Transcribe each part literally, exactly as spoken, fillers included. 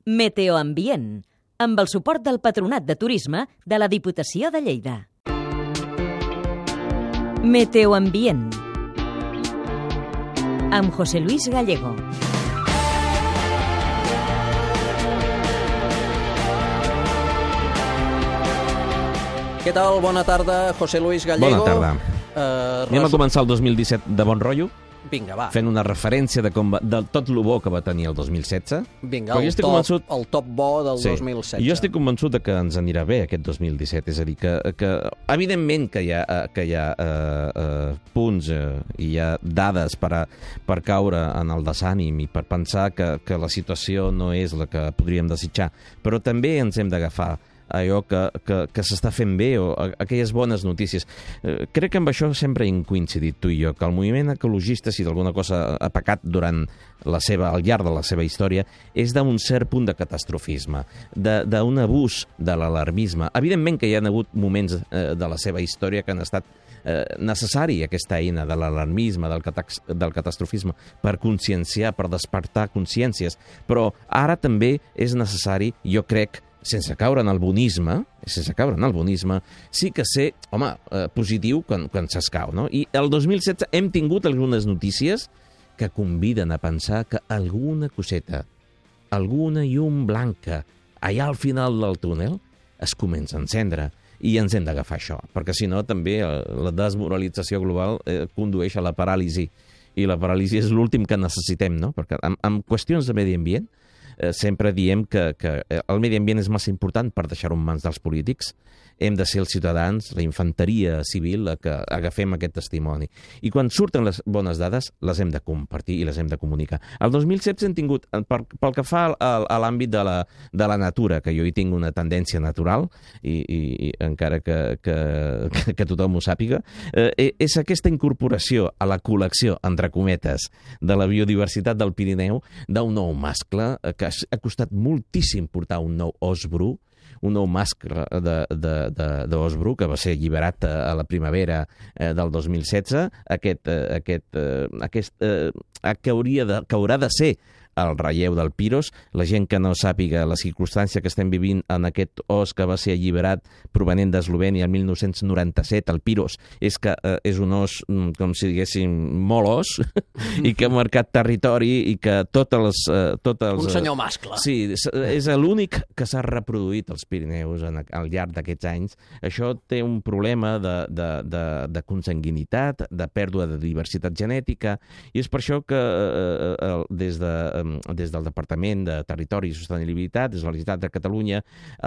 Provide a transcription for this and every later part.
Meteoambient, amb el suport del Patronat de Turisme de la Diputació de Lleida. Meteoambient, amb José Luis Gallego. Què tal? Bona tarda, José Luis Gallego. Bona tarda. Uh, Anem res... a començar el dos mil disset de bon rotllo, Vinga, va. fent una referència de, com va, de tot el bo que va tenir el dos mil setze. Vinga, el top, convençut... el top bo del sí. dos mil setze. Jo estic convençut de que ens anirà bé aquest dos mil disset. És a dir, que, que evidentment que hi ha, que hi ha uh, uh, punts uh, i hi ha dades per, a, per caure en el desànim i per pensar que, que la situació no és la que podríem desitjar. Però també ens hem d'agafar allò que, que, que s'està fent bé o aquelles bones notícies. Eh, crec que amb això sempre hem coincidit tu i jo, que el moviment ecologista, si d'alguna cosa ha pecat durant la seva, al llarg de la seva història, és d'un cert punt de catastrofisme, d'un abús de l'alarmisme. Evidentment que hi ha hagut moments eh, de la seva història que han estat eh, necessari aquesta eina de l'alarmisme, del, del catastrofisme, per conscienciar, per despertar consciències. Però ara també és necessari, jo crec, sense caure en el bonisme, sense caure en el bonisme, sí que ser, home, eh, positiu quan, quan s'escau, no? I el dos mil setze hem tingut algunes notícies que conviden a pensar que alguna coseta, alguna llum blanca, allà al final del túnel, es comença a encendre. I ens hem d'agafar això, perquè si no també la desmoralització global eh, condueix a la paràlisi. I la paràlisi és l'últim que necessitem, no? Perquè en, en qüestions de medi ambient, Eh, sempre diem que, que el medi ambient és massa important per deixar-ho en mans dels polítics. Hem de ser els ciutadans, la infanteria civil, la que agafem aquest testimoni. I quan surten les bones dades, les hem de compartir i les hem de comunicar. El dos mil setze hem tingut, per, pel que fa a, a l'àmbit de, la, de la natura, que jo hi tinc una tendència natural, i, i, i encara que, que, que tothom ho sàpiga, eh, és aquesta incorporació a la col·lecció, entre cometes, de la biodiversitat del Pirineu, d'un nou mascle, que ha costat moltíssim portar un nou os bru, un nou mascle d'os bru que va ser alliberat a la primavera eh, del dos mil setze. Aquest, eh, aquest, eh, aquest eh, que, hauria de, que haurà de ser el relleu del Piros. La gent que no sàpiga la circumstància que estem vivint en aquest os que va ser alliberat provenent d'Eslovènia el mil nou-cents noranta-set, el Piros, és que eh, és un os, com si diguéssim, molt os, i que ha marcat territori i que totes les... Eh, totes els, un senyor mascle. Sí, és, és l'únic que s'ha reproduït als Pirineus en, al llarg d'aquests anys. Això té un problema de, de, de, de consanguinitat, de pèrdua de diversitat genètica, i és per això que eh, eh, des de des del Departament de Territori i Sostenibilitat, des de la Generalitat de Catalunya,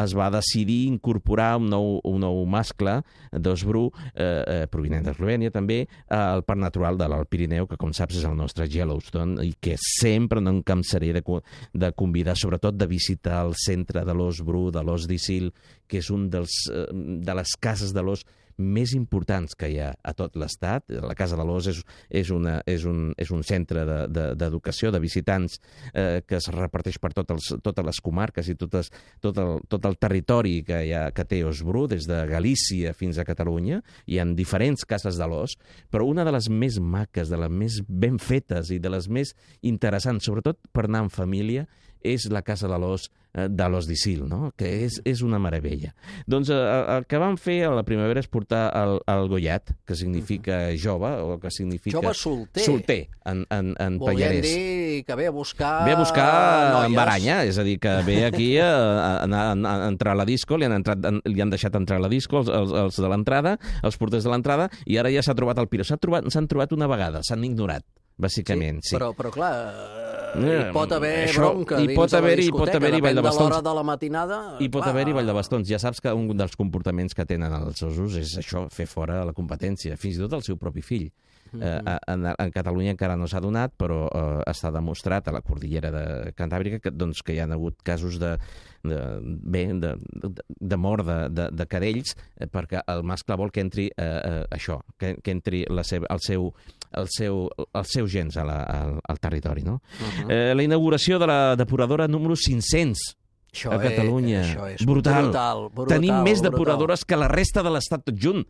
es va decidir incorporar un nou, un nou mascle d'os bru eh, eh, provinent d'Eslovènia també al Parc Natural de l'Alt Pirineu, que com saps és el nostre Yellowstone, i que sempre no em cansaré de, de convidar, sobretot de visitar el centre de l'os bru, de l'os d'Isil, que és un dels, eh, de les cases de l'os més importants que hi ha a tot l'Estat. La Casa de l'Os és, és, una, és, un, és un centre d'educació, de, de, de visitants eh, que es reparteix per tot els, totes les comarques i totes, tot, el, tot el territori que, hi ha, que té os bru, des de Galícia fins a Catalunya. Hi ha diferents cases de l'os, però una de les més maques, de les més ben fetes i de les més interessants, sobretot per anar en família, és la Casa de l'Os de l'Os d'Isil, no? Que és, és una meravella. Doncs eh, el que vam fer a la primavera és portar el, el Goyat, que significa jove, o que significa... Jove solter. Solter, en, en, en Volien pallarès. dir que ve a buscar... Ve a buscar noies. en baranya, és a dir, que ve aquí a, a, a, a entrar a la disco, li han, entrat, li han deixat entrar a la disco els, els, els de l'entrada, els porters de l'entrada, i ara ja s'ha trobat el Piro. S'han trobat, s'han trobat una vegada, s'han ignorat, bàsicament. Sí, sí. Però, però clar... Hi pot haver Això, bronca dins pot haver, de la discoteca, haver depèn de, de l'hora de la matinada... Hi pot clar. haver-hi ball de bastons. Ja saps que un dels comportaments que tenen els osos és això, fer fora la competència, fins i tot el seu propi fill. Mm -hmm. eh, en, en Catalunya encara no s'ha donat, però eh, està demostrat a la cordillera de Cantàbrica que, doncs, que hi ha hagut casos de, de, bé, de, de, de mort de, de, de cadells eh, perquè el mascle vol que entri eh, eh, això, que, que entri la seva, el seu el seu, els seus gens a la, al, al territori, no? Uh -huh. eh, la inauguració de la depuradora número cinc-cents això a Catalunya. És, això és brutal. brutal, brutal. Tenim més brutal. depuradores que la resta de l'Estat tot junt.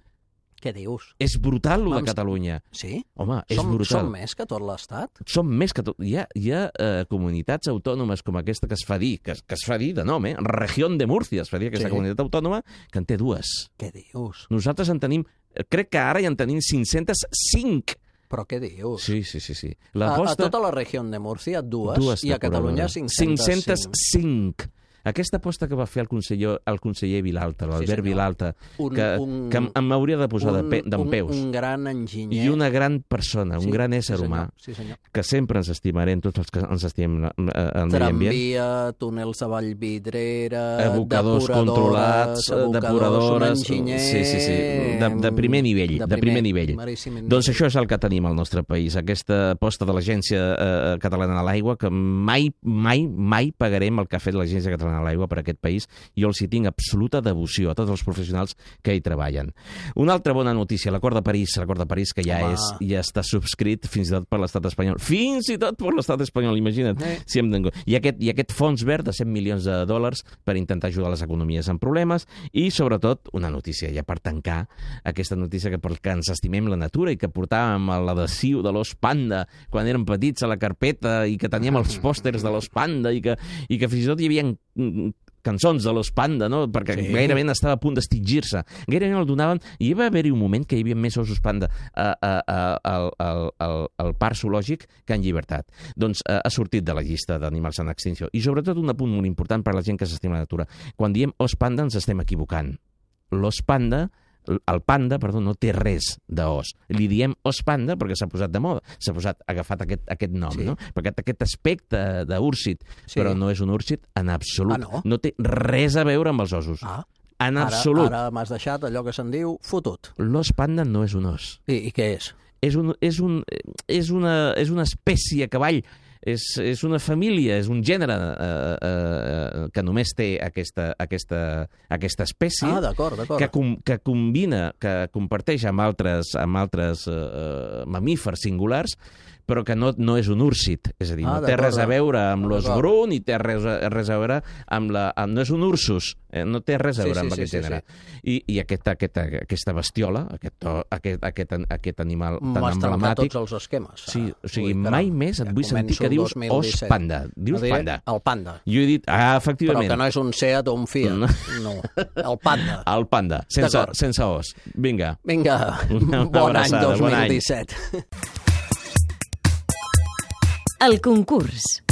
Què dius? És brutal, lo de Vam- Catalunya. Sí? Home, és som, brutal. Som més que tot l'Estat? Som més que tot. Hi ha, hi ha eh, comunitats autònomes com aquesta que es fa dir, que, es- que es fa dir de nom, eh? Región de Múrcia, es fa dir aquesta Sí. comunitat autònoma, que en té dues. Què dius? Nosaltres en tenim, crec que ara ja en tenim cinc-cents cinc. Però què dius? Sí, sí, sí. sí. A, a L'aposta... tota la regió de Múrcia, dues, dues i a Catalunya cinc-cents cinc. cinc-cents cinc. Aquesta aposta que va fer el conseller, el conseller Vilalta, l'Albert senyor. Vilalta, Un- que, un- que em- m'hauria de posar de pe- d'en un, peus. un gran enginyer. I una gran persona, un Sí, gran ésser sí, senyor. humà, Sí, senyor. que sempre ens estimarem, tots els que ens estimem eh, el medi ambient. Tramvia, túnels de Vallvidrera, Abocadors controlats, depuradores, depuradores... un enginyer... Sí, sí, sí, de, de primer nivell, de, de primer nivell. Maríssim Doncs això és el que tenim al nostre país, aquesta aposta de l'Agència eh, Catalana de l'Aigua, que mai, mai, mai pagarem el que ha fet l'Agència Catalana de l'Aigua per aquest país. Jo els hi tinc absoluta devoció a tots els professionals que hi treballen. Una altra bona notícia, l'acord de París, l'acord de París que ja, Home. és, ja està subscrit fins i tot per l'estat espanyol. Fins i tot per l'estat espanyol, imagina't. Eh. Si hem de... I, aquest, I aquest fons verd de cent milions de dòlars per intentar ajudar les economies en problemes i, sobretot, una notícia, ja per tancar, aquesta notícia que per que ens estimem la natura i que portàvem a l'adhesiu de l'os panda quan érem petits a la carpeta i que teníem els pòsters de l'os panda i que, i que fins i tot hi havia mm, cançons de l'os panda, no? Perquè Sí. sí. gairebé estava a punt d'extingir-se. Gairebé el donaven... I va haver-hi un moment que hi havia més ossos panda a, a, a, al, al, al, al parc zoològic que en llibertat. Doncs eh, ha sortit de la llista d'animals en extinció. I sobretot un apunt molt important per a la gent que s'estima la natura. Quan diem os panda ens estem equivocant. L'os panda el panda, perdó, no té res d'os. Li diem os panda perquè s'ha posat de moda, s'ha posat agafat aquest, aquest nom, Sí. no? Perquè aquest aspecte d'úrsit, Sí. però no és un úrsit en absolut. Ah, no? No té res a veure amb els ossos. Ah, En ara, absolut. ara m'has deixat allò que se'n diu fotut. L'os panda no és un os. I, i què és? És, un, és, un, és, una, és una espècie a cavall. És, és una família, és un gènere eh, eh, que només té aquesta, aquesta, aquesta espècie. Ah, d'acord, d'acord. que, com, que combina, que comparteix amb altres, amb altres eh, mamífers singulars, però que no, no és un úrsit. És a dir, Ah, no té d'acord. res a veure amb Ah, l'os d'acord. bru, ni té res, a- res a veure amb la... Amb, no és un ursus, eh, no té res a Sí, veure sí, amb sí, aquest sí, gènere. I, i aquesta, aquesta, aquesta bestiola, aquest, aquest, aquest, aquest animal tan M'has trencat emblemàtic... tots els esquemes. Sí, o sigui, Ui, mai caram, més et ja vull sentir començo que el dius dos mil os disset. panda. Dius No diré panda. El panda. Jo he dit, ah, Però efectivament, que no és un Seat o un Fiat. No. No, el panda. el panda, sense, D'acord. sense os. Vinga. Vinga, Una bon any abraçada, dos bon mil any. disset. El concurs.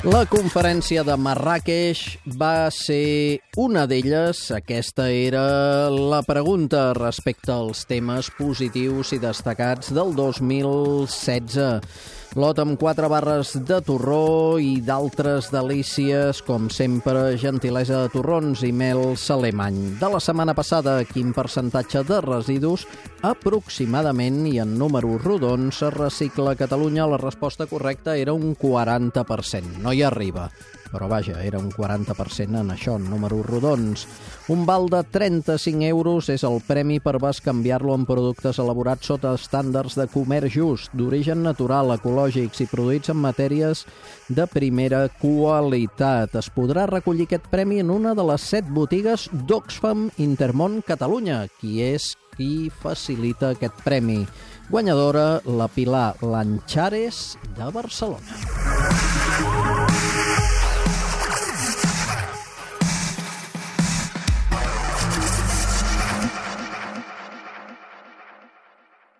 La conferència de Marràqueix va ser una d'elles. Aquesta era la pregunta respecte als temes positius i destacats del dos mil setze. Lot amb quatre barres de torró i d'altres delícies, com sempre, gentilesa de torrons i mel alemany. De la setmana passada, quin percentatge de residus aproximadament i en números rodons es recicla a Catalunya? La resposta correcta era un quaranta per cent. No hi arriba, però vaja, era un quaranta per cent en això, en números rodons. Un val de trenta-cinc euros és el premi per bescanviar-lo en productes elaborats sota estàndards de comerç just, d'origen natural, ecològics i produïts en matèries de primera qualitat. Es podrà recollir aquest premi en una de les set botigues d'Oxfam Intermón Catalunya. Qui és qui facilita aquest premi? Guanyadora, la Pilar Lanchares de Barcelona.